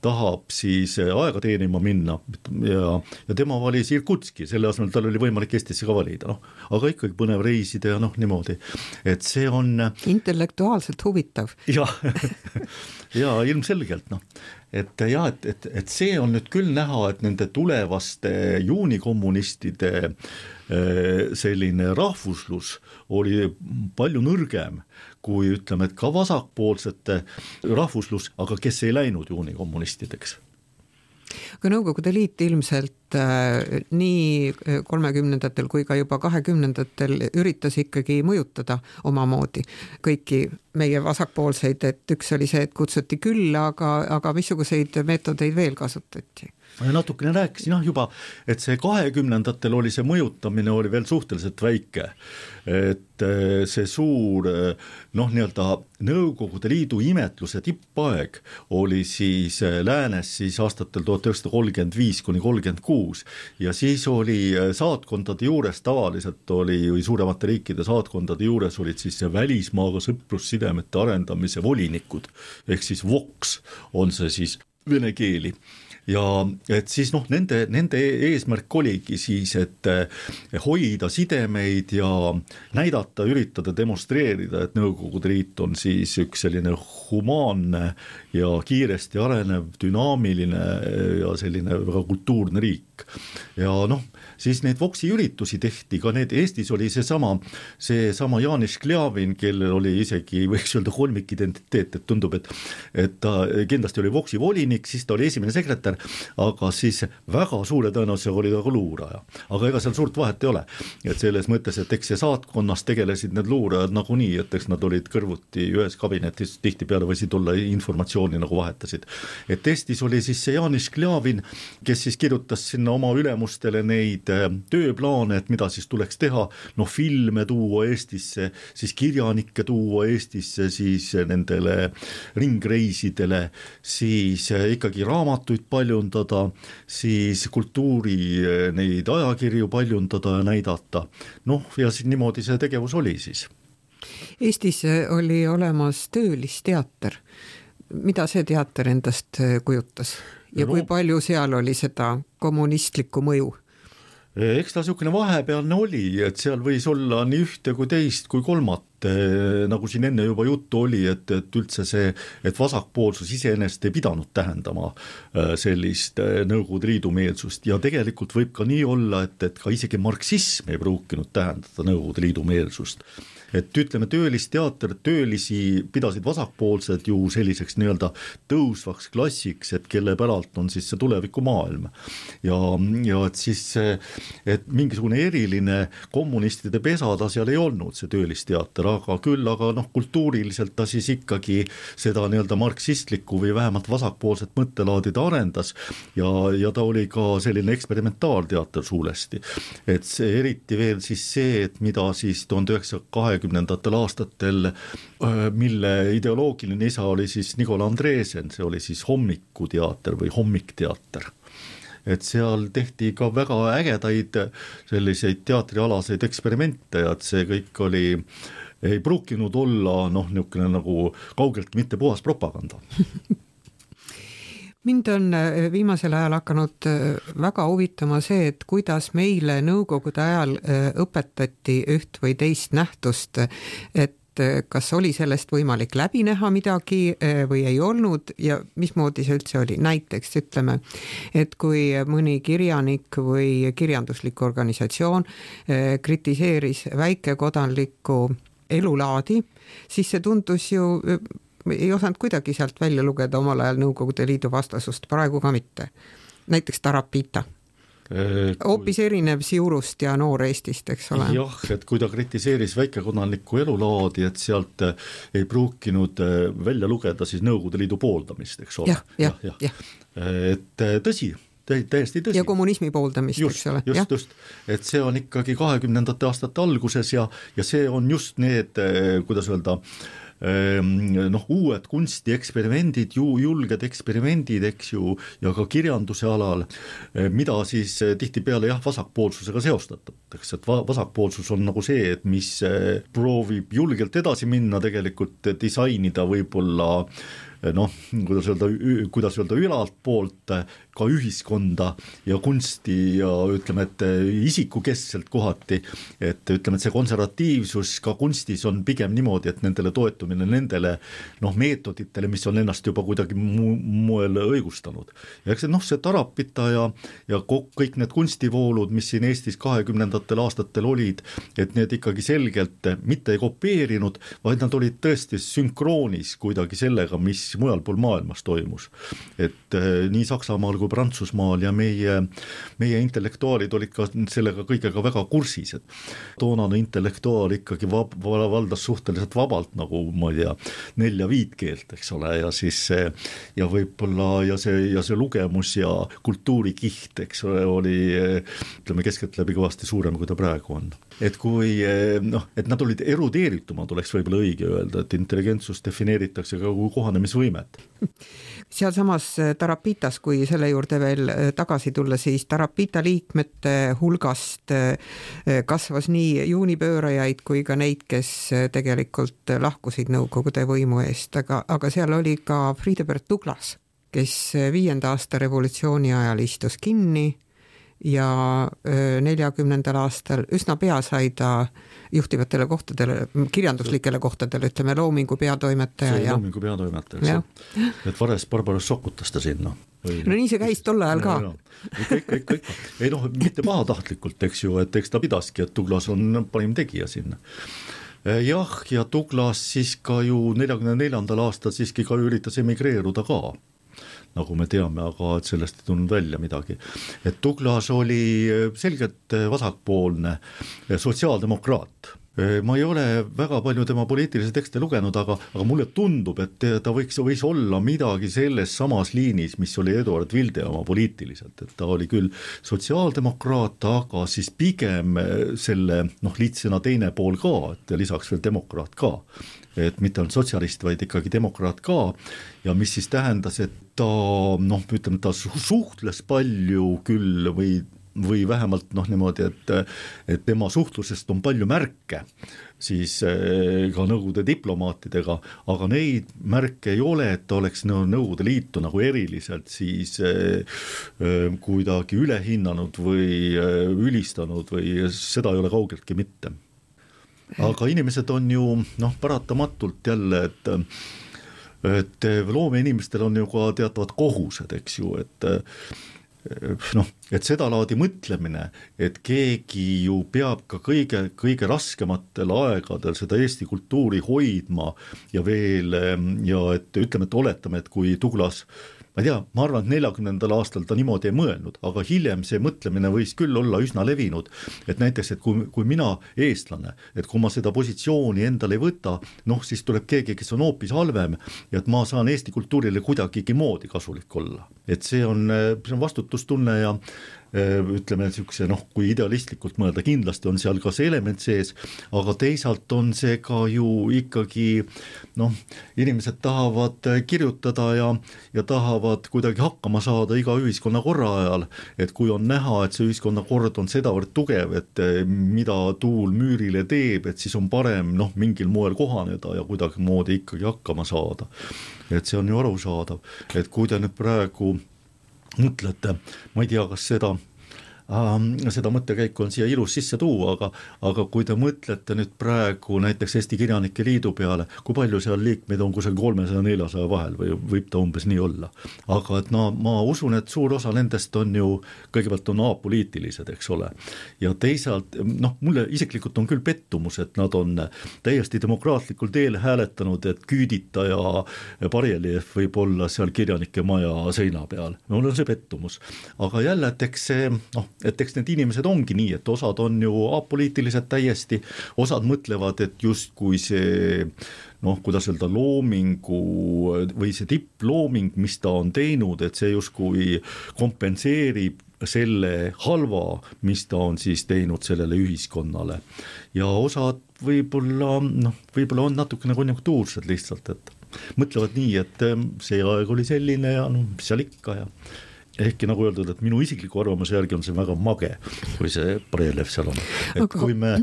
tahab siis aega teenima minna ja, ja tema valis Irkutski, selle asemel tal oli võimalik Eestisse ka valida, noh, aga ikkagi põnev reisida ja noh, niimoodi, et see on intellektuaalselt huvitav. Ja, ja ilmselgelt, noh, et jah, et, et, et see on nüüd küll näha, et nende tulevaste juunikommunistide selline rahvuslus oli palju nõrgem kui ütleme, et ka vasakpoolsete rahvuslus, aga kes ei läinud juunikommunistideks. Aga Nõukogude Liit ilmselt äh, nii kolmekümnendatel kui ka juba kahekümnendatel üritas ikkagi mõjutada omamoodi kõiki meie vasakpoolseid, et üks oli see, et kutsuti külla, aga, aga missuguseid meetodeid veel kasutati? Ma natukene rääkisin jah juba, et see kahekümnendatel oli see mõjutamine oli veel suhteliselt väike, et see suur noh, nii-öelda Nõukogude Liidu imetluse tippaeg oli siis läänes siis aastatel tuhat üheksasada kolmkümmend viis kuni kolmkümmend kuus ja siis oli saatkondade juures tavaliselt oli või suuremate riikide saatkondade juures olid siis välismaaga sõprussidemete arendamise volinikud ehk siis Vox on see siis vene keeli. Ja et siis noh, nende, nende eesmärk oligi siis, et hoida sidemeid ja näidata, üritada demonstreerida, et Nõukogude Liit on siis üks selline humaanne ja kiiresti arenev, dünaamiline ja selline väga kultuurne riik. Ja noh, siis neid Voksi üritusi tehti, ka need Eestis oli see sama, see sama Janis Kljavin, kellel oli isegi, võiks öelda, kolmik identiteet, et tundub, et, et ta kindlasti oli Voksi volinik, siis ta oli esimene sekretär, aga siis väga suure tõenäosusega oli ta ka luuraja. Aga ega seal suurt vahet ei ole, et selles mõttes, et eks see saatkonnas tegelesid need luurajad nagunii, et eks nad olid kõrvuti ühes kabinetis, tihti peale võisid olla informatsiooni nagu vahetasid. Et Eestis oli siis see Janis Kljavin, kes siis kirjutas sinna oma ülemustele neid tööplaane, et mida siis tuleks teha, noh filme tuua Eestisse, siis kirjanikke tuua Eestisse, siis nendele ringreisidele, siis ikkagi raamatuid paljundada, siis kultuuri neid ajakirju paljundada ja näidata. Noh, ja siis niimoodi see tegevus oli siis. Eestis oli olemas töölisteater. Mida see teater endast kujutas? Ja kui palju seal oli seda kommunistlikku mõju? Eks ta niisugune vahepealne oli, et seal võis olla nii ühte kui teist kui kolmat, nagu siin enne juba juttu oli, et, et üldse see, et vasakpoolsus iseenesest ei pidanud tähendama sellist Nõukogude Liidu meelsust ja tegelikult võib ka nii olla, et, et ka isegi marksism ei pruukinud tähendada Nõukogude Liidu meelsust. Et ütleme, töölisteater, töölisi pidasid vasakpoolsed ju selliseks nii-öelda tõusvaks klassiks, et kelle päralt on siis see tulevikumaailm. Ja, ja et siis, et mingisugune eriline kommunistide pesa ta seal ei olnud, see töölisteater, aga küll, aga noh, kultuuriliselt ta siis ikkagi seda nii-öelda marksistlikku või vähemalt vasakpoolset mõttelaadi ta arendas ja, ja ta oli ka selline eksperimentaalteater suuresti. Et see eriti veel siis see, et mida siis tuhande üheksasaja kahekümnendatel aastatel, mille ideoloogiline isa oli siis Nikola Andresen, see oli siis hommikuteater või hommikteater. Et seal tehti ka väga ägedaid selliseid teatrialaseid eksperimente ja et see kõik oli, ei pruukinud olla noh, niisugune nagu kaugelt mitte puhas propaganda. Mind on viimasel ajal hakanud väga huvitama see, et kuidas meile Nõukogude ajal õpetati üht või teist nähtust, et kas oli sellest võimalik läbi näha midagi või ei olnud ja mismoodi see üldse oli. Näiteks ütleme, et kui mõni kirjanik või kirjanduslik organisatsioon kritiseeris väikekodanlikku elulaadi, siis see tundus ju ei osanud kuidagi sealt välja lugeda omal ajal Nõukogude Liidu vastasust, praegu ka mitte. Näiteks Tarapita. Hoopis erinev Siurust ja Noor Eestist, eks ole. Jah, et kui ta kritiseeris väikekodanlikku elulaadi, et sealt ei pruukinud välja lugeda siis Nõukogude Liidu pooldamist, eks ole. Jah, jah, jah. Et tõsi, täiesti tõsi. Ja kommunismi pooldamist, just, eks ole. Just, just, et see on ikkagi kahekümnendate aastate alguses ja, ja see on just need, kuidas öelda, noh, uued kunstieksperimendid, ju julged eksperimendid, eks ju, ja ka kirjanduse alal, mida siis tihtipeale jah, vasakpoolsusega seostatakse, et vasakpoolsus on nagu see, et mis proovib julgelt edasi minna, tegelikult disainida võib-olla noh, kuidas öelda, kuidas öelda ülalt poolt ka ühiskonda ja kunsti ja ütleme, et isikukeskselt kohati, et ütleme, et see konservatiivsus ka kunstis on pigem niimoodi, et nendele toetumine nendele noh, meetoditele, mis on ennast juba kuidagi mu- moel õigustanud. Ja eks see, noh, see Tarapita ja, ja kõik need kunstivoolud, mis siin Eestis kahekümnendatel aastatel olid, et need ikkagi selgelt mitte ei kopeerinud, vaid nad olid tõesti sünkroonis kuidagi sellega, mis mujal pool maailmas toimus. Et eh, nii Saksamaal kui Prantsusmaal ja meie, meie intellektuaalid olid ka sellega kõigega väga kursis, et toonane intellektuaal ikkagi vab, valdas suhteliselt vabalt nagu ma ei tea, nelja viit keelt, eks ole, ja siis ja võib-olla ja see, ja see lugemus ja kultuurikiht, eks ole, oli ütleme keskeltläbi kõvasti suurem, kui ta praegu on. Et kui noh, et nad olid erudeeritumad, oleks võib-olla õige öelda, et intelligentsus defineeritakse ka kui kohanemisvõimet. Seal samas Tarapitas, kui selle juurde veel tagasi tulla, siis Tarapita liikmete hulgast kasvas nii juunipöörajaid kui ka neid, kes tegelikult lahkusid Nõukogude võimu eest, aga, aga seal oli ka Friedebert Douglass, kes viienda aasta revolutsiooni ajal istus kinni ja neljakümnendal aastal üsna pea sai ta juhtivatele kohtadele, kirjanduslikele kohtadele, ütleme Loomingu peatoimetaja. See ja... Loomingu peatoimetaja, et Vares Barbaros sokutas ta sinna. Või... No nii see käis tolle ajal ka. Kõik, kõik, kõik. Ei noh, mitte pahatahtlikult, eks ju, et eks ta pidaski, et Douglas on parim tegija sinna. Jah, ja Douglas siis ka ju neljakümne neljandal aastal siiski ka üritas emigreeruda ka, nagu me teame, aga et sellest ei tulnud välja midagi. Et Douglas oli selgelt vasakpoolne sotsiaaldemokraat. Ma ei ole väga palju tema poliitilisi tekste lugenud, aga, aga mulle tundub, et ta võiks, võis olla midagi selles samas liinis, mis oli Eduard Vilde oma poliitiliselt, et ta oli küll sotsiaaldemokraat, aga siis pigem selle noh, liitsena teine pool ka, et lisaks veel demokraat ka, et mitte ainult sotsialist, vaid ikkagi demokraat ka, ja mis siis tähendas, et ta noh, ütleme, ta suhtles palju küll või või vähemalt noh niimoodi, et, et tema suhtlusest on palju märke siis ka Nõukogude diplomaatidega, aga neid märke ei ole, et ta oleks Nõukogude Liitu nagu eriliselt siis kuidagi ülehinnanud või ülistanud või seda ei ole kaugeltki mitte. Aga inimesed on ju noh, paratamatult jälle, et et loomeinimestel on ju ka teatavad kohused, eks ju, et noh, et seda laadi mõtlemine, et keegi ju peab ka kõige, kõige raskematel aegadel seda Eesti kultuuri hoidma ja veel, ja et ütleme, et oletame, et kui Douglas, ma ei tea, ma arvan, et neljakümnendal aastal ta niimoodi ei mõelnud, aga hiljem see mõtlemine võis küll olla üsna levinud, et näiteks, et kui, kui mina eestlane, et kui ma seda positsiooni endale ei võta, noh, siis tuleb keegi, kes on hoopis halvem ja et ma saan Eesti kultuurile kuidagigi moodi kasulik olla. Et see on, see on vastutustunne ja ütleme, niisuguse, noh, kui idealistlikult mõelda, kindlasti on seal ka see element sees, aga teisalt on see ka ju ikkagi, noh, inimesed tahavad kirjutada ja, ja tahavad kuidagi hakkama saada iga ühiskonna korra ajal, et kui on näha, et see ühiskonna kord on sedavõrd tugev, et mida tuul müürile teeb, et siis on parem, noh, mingil moel kohaneda ja kuidagi moodi ikkagi hakkama saada. Et see on ju arusaadav, et kui te nüüd praegu mõtlete, ma ei tea, kas seda, äh, seda mõttekäiku on siia ilus sisse tuua, aga, aga kui te mõtlete nüüd praegu näiteks Eesti Kirjanike Liidu peale, kui palju seal liikmeid on kusagil kolmesaja neljasaja vahel või võib ta umbes nii olla. Aga et no, ma usun, et suur osa nendest on ju, kõigepealt on apoliitilised, eks ole. Ja teisalt, noh, mulle isiklikult on küll pettumus, et nad on täiesti demokraatlikul teel hääletanud, et Küüdita ja Barjeljev võib olla seal Kirjanike maja seina peal. Mul on see pettumus. Aga jälle, et eks see, noh, et eks need inimesed ongi nii, et osad on ju apoliitilised täiesti, osad mõtlevad, et justkui see noh, kuidas öelda, loomingu või see tipplooming, mis ta on teinud, et see justkui kompenseerib selle halva, mis ta on siis teinud sellele ühiskonnale. Ja osad võib-olla, noh, võib-olla on natukene konjunktuursed lihtsalt, et mõtlevad nii, et see aeg oli selline ja noh, mis seal ikka ja ehkki nagu öeldud, et minu isikliku arvamuse järgi on see väga mage, kui see Brelev seal on. Et kui me,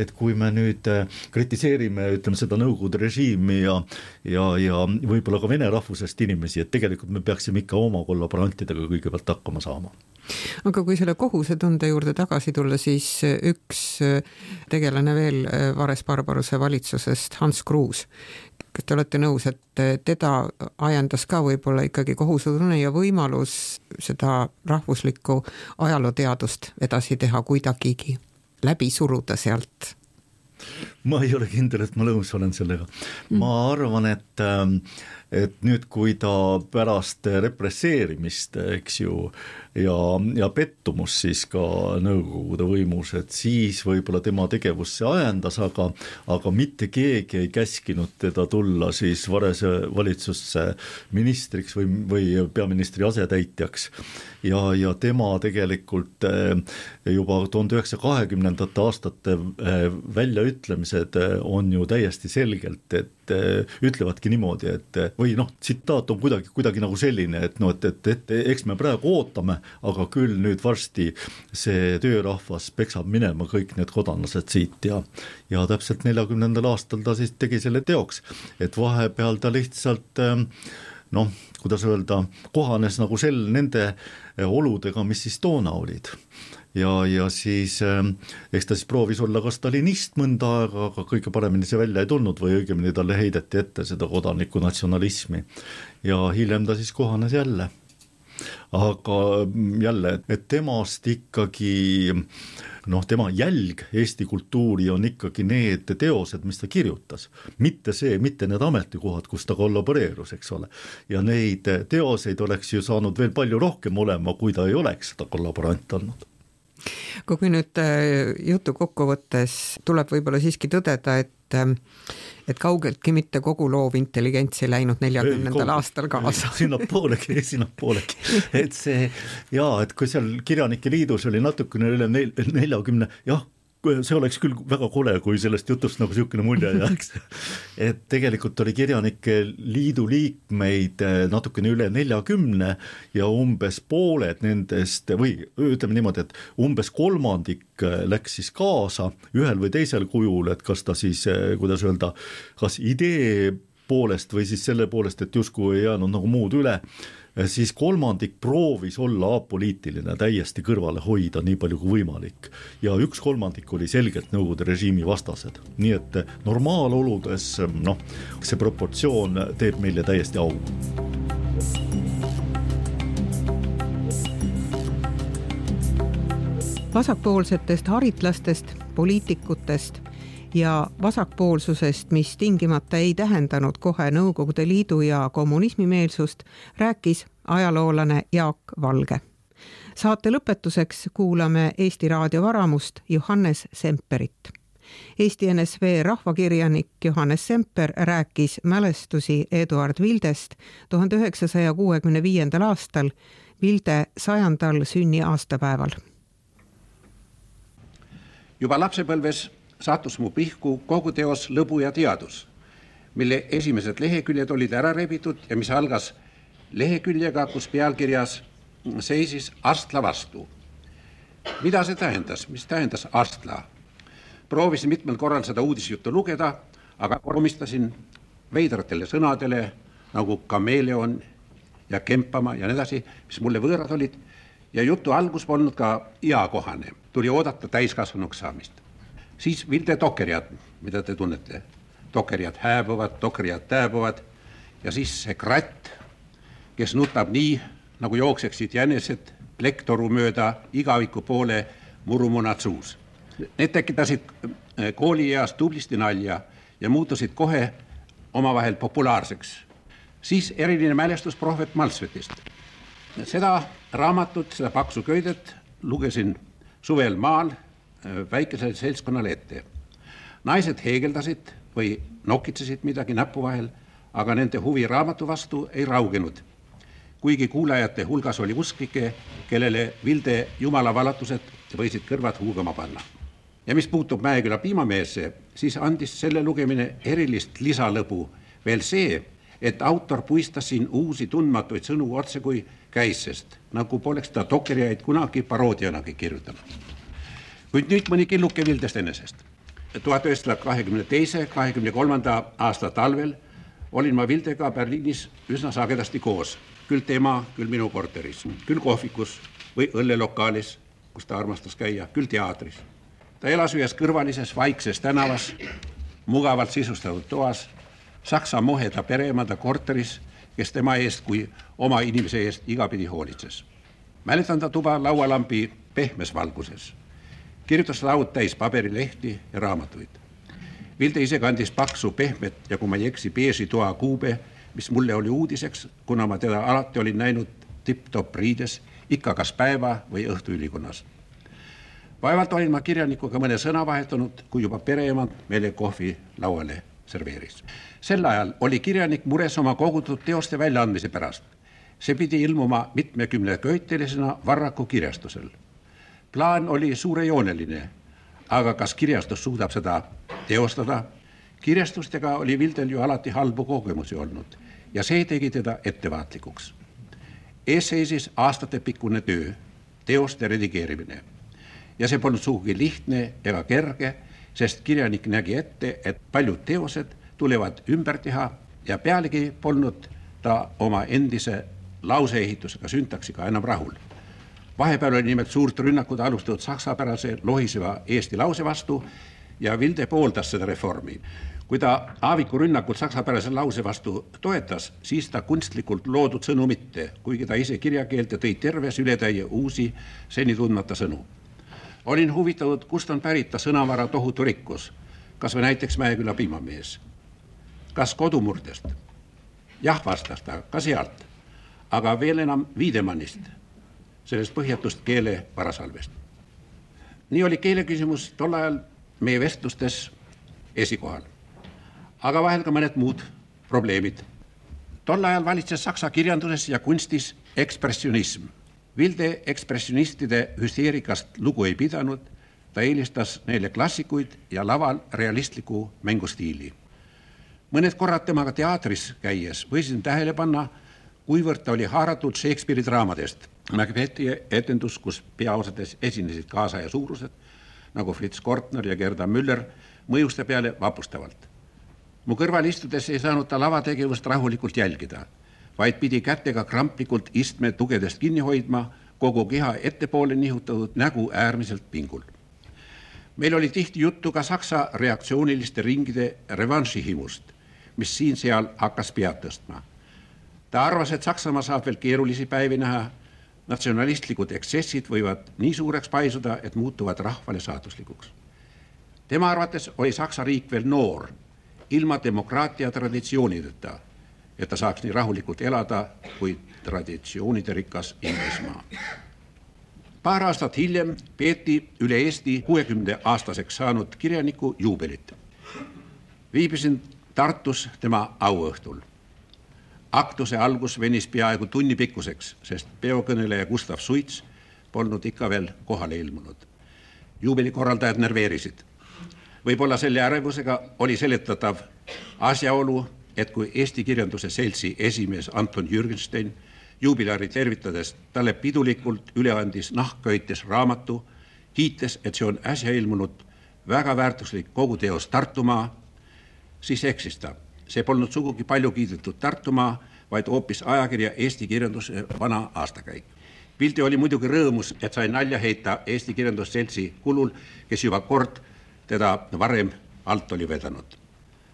et kui me nüüd kritiseerime, ütleme seda Nõukogude režiimi ja, ja, ja võib-olla ka vene rahvusest inimesi, et tegelikult me peaksime ikka oma kollaborantidega kõigepealt hakkama saama. Aga kui selle kohusetunde juurde tagasi tulla, siis üks tegelane veel Vares-Barbaruse valitsusest, Hans Kruus, kas te olete nõus, et teda ajendas ka võib-olla ikkagi kohusetunne ja võimalus seda rahvuslikku ajalooteadust edasi teha kuidagigi, läbi suruda sealt? Ma ei ole kindel, et ma nõus olen sellega. Ma arvan, et, et nüüd, kui ta pärast represseerimist, eks ju, ja, ja pettumus siis ka Nõukogude võimus, et siis võib-olla tema tegevus see ajendas, aga, aga mitte keegi ei käskinud teda tulla siis Varese valitsusse ministriks või, või peaministri asetäitjaks. Ja, ja tema tegelikult juba tuhande üheksasaja kahekümnendate aastate väljaütlemised on ju täiesti selgelt, et ütlevadki niimoodi, et või noh, tsitaat on kuidagi, kuidagi nagu selline, et no, et, et, et eks me praegu ootame, aga küll nüüd varsti see töörahvas peksab minema kõik need kodanlased siit ja, ja täpselt neljakümnendal aastal ta siis tegi selle teoks, et vahepeal ta lihtsalt noh, kuidas öelda, kohanes nagu sel nende oludega, mis siis toona olid. Ja, ja siis eks ta siis proovis olla ka stalinist mõnda aega, aga kõige paremini see välja ei tulnud või õigemini talle heideti ette seda kodaniku natsionalismi ja hiljem ta siis kohanes jälle. Aga jälle, et temast ikkagi noh, tema jälg Eesti kultuuri on ikkagi need teosed, mis ta kirjutas, mitte see, mitte need ametikohad, kus ta kollaboreerus, eks ole. Ja neid teoseid oleks ju saanud veel palju rohkem olema, kui ta ei oleks seda kollaborant olnud. Kui nüüd jutu kokkuvõttes tuleb võib-olla siiski tõdeda, et, et kaugeltki mitte kogu loov intelligents ei läinud neljakümnendal aastal kaasa. Sinna poolegi, sinna poolegi. Et see, jaa, et kui seal Kirjanike Liidus oli natukene üle neljakümne, jah, see oleks küll väga kole, kui sellest jutust nagu niisugune mulje jääks. Et tegelikult oli Kirjanike Liidu liikmeid natukene üle neljakümne ja umbes pooled nendest, või ütleme niimoodi, et umbes kolmandik läks siis kaasa ühel või teisel kujul, et kas ta siis, kuidas öelda, kas idee poolest või siis selle poolest, et justkui ei jäänud nagu muud üle, siis kolmandik proovis olla apoliitiline, täiesti kõrvale hoida nii palju kui võimalik. Ja üks kolmandik oli selgelt Nõukogude režiimi vastased. Nii et normaaloludes, noh, see proportsioon teeb meile täiesti au. Vasakpoolsetest haritlastest, poliitikutest ja vasakpoolsusest, mis tingimata ei tähendanud kohe Nõukogude Liidu ja kommunismimeelsust, rääkis ajaloolane Jaak Valge. Saate lõpetuseks kuulame Eesti Raadio Varamust Johannes Semperit. Eesti N S V rahvakirjanik Johannes Semper rääkis mälestusi Eduard Vildest tuhande üheksasaja kuuekümne viiendal aastal Vilde sajandal sünni aastapäeval. Juba lapsepõlves sattus mu pihku kogu teos Lõbu ja teadus, mille esimesed leheküljed olid ära rebitud ja mis algas leheküljega, kus pealkirjas seisis Astla vastu. Mida see tähendas? Mis tähendas Astla? Proovisin mitmel korral seda uudisjuttu lugeda, aga komistasin veidratele sõnadele nagu kameeleon ja kempama ja nii edasi, mis mulle võõrad olid ja jutu algus polnud ka eakohane. Tuli oodata täiskasvanuks saamist. Siis Vilde dokkerjad, mida te tunnete. Dokkerjad hääbuvad, dokkerjad tääbuvad ja siis see kratt, kes nutab nii, nagu jookseksid jänesed plektoru mööda igaviku poole murumunad suus. Need tekitasid koolieas tublisti nalja ja muutusid kohe omavahel populaarseks. Siis eriline mälestus prohvet Malsvetist. Seda raamatut, seda paksu köidet lugesin suvel maal väikesele seltskonnale ette. Naised heegeldasid või nokitsesid midagi näpu vahel, aga nende huvi raamatu vastu ei raugenud. Kuigi kuulajate hulgas oli usklike, kellele Vilde jumala valatused võisid kõrvad huugama panna. Ja mis puutub Mäeküla piimameesse, siis andis selle lugemine erilist lisalõbu veel see, et autor puistas siin uusi tundmatuid sõnu otse kui käissest, nagu poleks ta dokeriaid kunagi paroodianagi kirjutanud. Kuid nüüd mõni killuke Vildest enesest. tuhat üheksasada kahekümne teise kahekümne kolmanda aasta talvel olin ma Vildega Berliinis üsna sagedasti koos, küll tema, küll minu korteris, küll kohvikus või õllelokaalis, kus ta armastas käia, küll teatris. Ta elas ühes kõrvalises vaikses tänavas, mugavalt sisustatud toas, Saksa moheda pereemanda korteris, kes tema eest kui oma inimese eest igapidi hoolitses. Mäletan ta tuba laualambi pehmes valguses. Kirjutas laud täis paberilehti ja raamatuid. Vilde ise kandis paksu pehmet ja kui ma ei eksi beeži toa kuube, mis mulle oli uudiseks, kuna ma teda alati olin näinud tipp-top riides, ikka kas päeva või õhtu ülikonnas. Vaevalt olin ma kirjanikuga mõne sõna vahetanud, kui juba pereemand meile kohvi lauale serveeris. Sel ajal oli kirjanik mures oma kogutud teoste väljaandmise pärast. See pidi ilmuma mitmekümne köitelisena Varraku kirjastusel. Plaan oli suurejooneline, aga kas kirjastus suudab seda teostada? Kirjastustega oli Vildel ju alati halbu kogemusi olnud ja see tegi teda ettevaatlikuks. Ees seisis aastatepikkune töö, teoste redigeerimine. Ja see polnud sugugi lihtne ega kerge, sest kirjanik nägi ette, et paljud teosed tulevad ümber teha ja pealegi polnud ta oma endise lauseehitusega syntaksiga enam rahul. Vahepeal oli nimelt suurt rünnakud alustatud saksapärase lohiseva eesti lause vastu ja Vilde pooldas seda reformi. Kui ta Aaviku rünnakul saksapärase lause vastu toetas, siis ta kunstlikult loodud sõnu mitte, kuigi ta ise kirjakeelte tõi terves ületäie uusi seni tundmata sõnu. Olin huvitatud, kust on pärit ta sõnavara tohutu rikkus, kas või näiteks Mäeküla piimamees. Kas kodumurdest? Jah, vastas ta, ka sealt, aga veel enam Viidemannist, sellest põhjatust keele varasalvest. Nii oli keele küsimus tol ajal meie vestlustes esikohal, aga vahel ka mõned muud probleemid. Tol ajal valitses saksa kirjanduses ja kunstis ekspressionism. Vilde ekspressionistide hüsteerikast lugu ei pidanud, ta eelistas neile klassikuid ja laval realistliku mängustiili. Mõned korrad temaga teatris käies võisin tähele panna, kuivõrd ta oli haaratud Shakespeare'i draamadest. Macbethi etendus, kus peaosades esinesid kaasaja suurused, nagu Fritz Kortner ja Gerda Müller, mõjuste peale vapustavalt. Mu kõrval istudes ei saanud ta lavategevust rahulikult jälgida, vaid pidi kätega kramplikult istme tugedest kinni hoidma, kogu keha ettepoole nihutatud nägu äärmiselt pingul. Meil oli tihti juttu ka saksa reaktsiooniliste ringide revanšihimust, mis siin seal hakkas pead tõstma. Ta arvas, et Saksamaa saab veel keerulisi päevi näha, natsionalistlikud eksessid võivad nii suureks paisuda, et muutuvad rahvale saatuslikuks. Tema arvates oli Saksa riik veel noor, ilma demokraatia traditsioonideta, et ta saaks nii rahulikult elada kui traditsioonide rikas Inglismaa. Paar aastat hiljem peeti üle Eesti kuuekümne aastaseks saanud kirjaniku juubelit. Viibisin Tartus tema auõhtul. Aktuse algus venis peaaegu tunni pikkuseks, sest peokõneleja Gustav Suits polnud ikka veel kohale ilmunud. Juubelikorraldajad nerveerisid. Võib-olla selle ärevusega oli seletatav asjaolu, et kui Eesti kirjanduse seltsi esimees Anton Jürgenstein juubilari tervitades talle pidulikult üle andis nahkköites raamatu, kiites, et see on äsja ilmunud väga väärtuslik koguteos Tartumaa, siis eksis ta. See polnud sugugi palju kiidetud Tartumaa, vaid hoopis ajakirja Eesti kirjanduse vana aastakäik. Vilde oli muidugi rõõmus, et sai nalja heita Eesti kirjandusseltsi kulul, kes juba kord teda varem alt oli vedanud.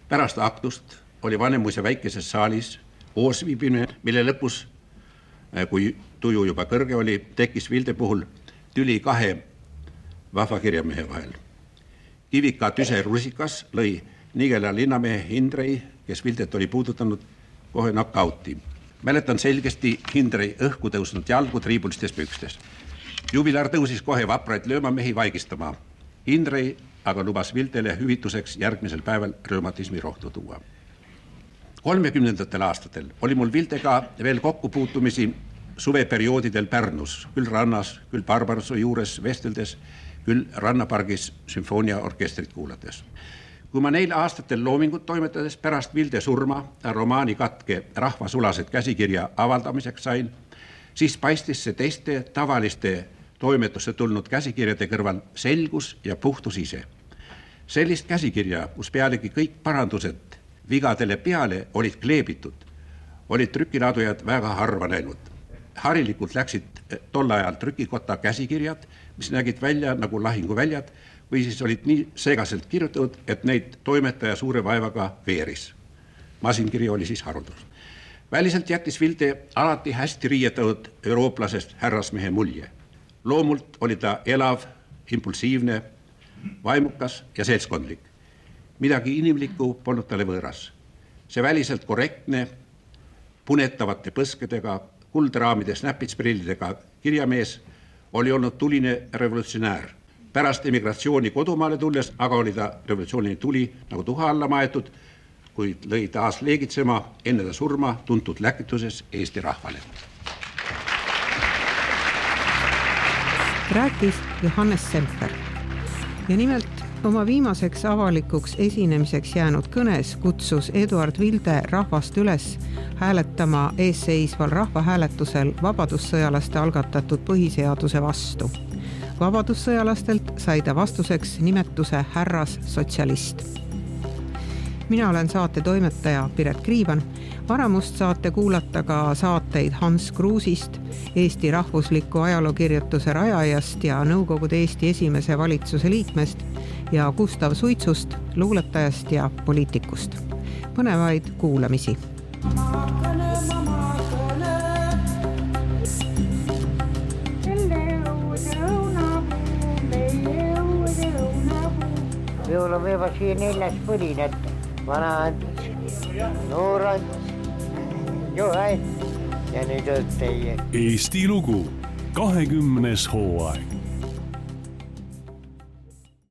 Pärast aktust oli Vanemuise väikeses saalis oosviibimine, mille lõpus, kui tuju juba kõrge oli, tekkis Vilde puhul tüli kahe vahva kirjamehe vahel. Kivika Tüse Rusikas lõi Nigela linnamehe Hindrei, kes Vildet oli puudutanud, kohe knockouti. Mäletan selgesti Hindrei õhku tõusnud jalgu triibulistes pükstes. Jubilar tõusis kohe vapraid löömamehi vaigistama. Indrei aga lubas Vildele hüvituseks järgmisel päeval rheumatismi rohtu tuua. kolmekümnendatel aastatel oli mul Vildega veel kokkupuutumisi suveperioodidel Pärnus, küll rannas, küll Barbarossa juures vesteldes, küll rannapargis sümfooniaorkestrit kuulates. Kui ma neil aastatel loomingut toimetades pärast Vilde surma romaani katke rahvasulased käsikirja avaldamiseks sain, siis paistis see teiste tavaliste toimetusse tulnud käsikirjade kõrval selgus ja puhtus ise. Sellist käsikirja, kus pealegi kõik parandused vigadele peale olid kleebitud, olid trükilaadujad väga harva näinud. Harilikult läksid tol ajal trükikotta käsikirjad, mis nägid välja nagu lahinguväljad või siis olid nii segaselt kirjutatud, et neid toimetaja suure vaevaga veeris. Masinkiri oli siis haruldus. Väliselt jättis Vilde alati hästi riietatud eurooplasest härrasmehe mulje. Loomult oli ta elav, impulsiivne, vaimukas ja seltskondlik. Midagi inimlikku polnud talle võõras. See väliselt korrektne, punetavate põskedega, kuldraamides näpitsprillidega kirjamees oli olnud tuline revolutsionäär. Pärast emigratsiooni kodumaale tulles aga oli ta revolutsioonini tuli nagu tuha alla maetud, kuid lõi taas leegitsema enne ta surma tuntud läkituses Eesti rahvale. Rääkis Johannes Semper ja nimelt oma viimaseks avalikuks esinemiseks jäänud kõnes kutsus Eduard Vilde rahvast üles hääletama eesseisval rahvahääletusel vabadussõjalaste algatatud põhiseaduse vastu. Vabadussõjalastelt sai ta vastuseks nimetuse härras sotsialist. Mina olen saate toimetaja Piret Kriivan. Varamust saate kuulata ka saateid Hans Kruusist, Eesti rahvusliku ajalookirjutuse rajajast ja Nõukogude Eesti esimese valitsuse liikmest ja Gustav Suitsust, luuletajast ja poliitikust. Põnevaid kuulamisi. Minulla on vielä siihen neljäs põlin, että vana antis, noor antis, jo äit ja nüüd õtteie. Eesti lugu, kahekümnes hooaeg.